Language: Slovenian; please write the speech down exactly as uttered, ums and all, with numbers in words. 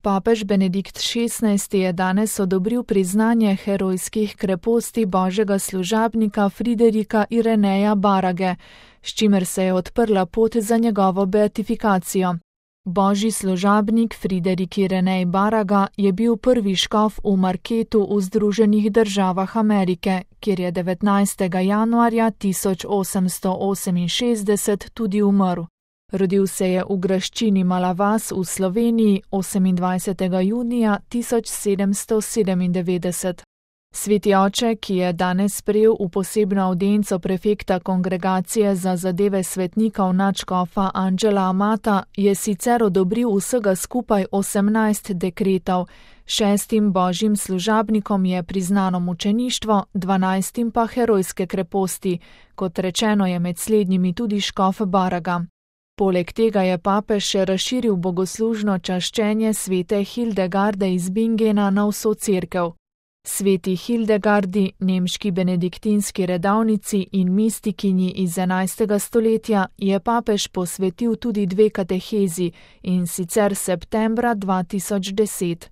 Papež Benedikt šestnajsti je danes odobril priznanje herojskih kreposti božjega služabnika Friderika Ireneja Barage, s čimer se je odprla pot za njegovo beatifikacijo. Božji služabnik Friderik Irenej Baraga je bil prvi škof v Marketu v Združenih državah Amerike, kjer je devetnajstega januarja tisoč osemsto oseminšestdeset tudi umrl. Rodil se je v graščini Malavas v Sloveniji osemindvajsetega junija tisoč sedemsto sedemindevetdeset. Sveti oče, ki je danes sprejel v posebno avdienco prefekta kongregacije za zadeve svetnikov nadškofa Anđela Amata, je sicer odobril vsega skupaj osemnajst dekretov, šestim božjim služabnikom je priznano mučeništvo, dvanajstim pa herojske kreposti, kot rečeno je med slednjimi tudi škof Baraga. Poleg tega je papež še razširil bogoslužno čaščenje svete Hildegarde iz Bingena na vso cerkev. Sveti Hildegardi, nemški benediktinski redavnici in mistikinji iz enajstega stoletja, je papež posvetil tudi dve katehezi, in sicer septembra dva tisoč deset.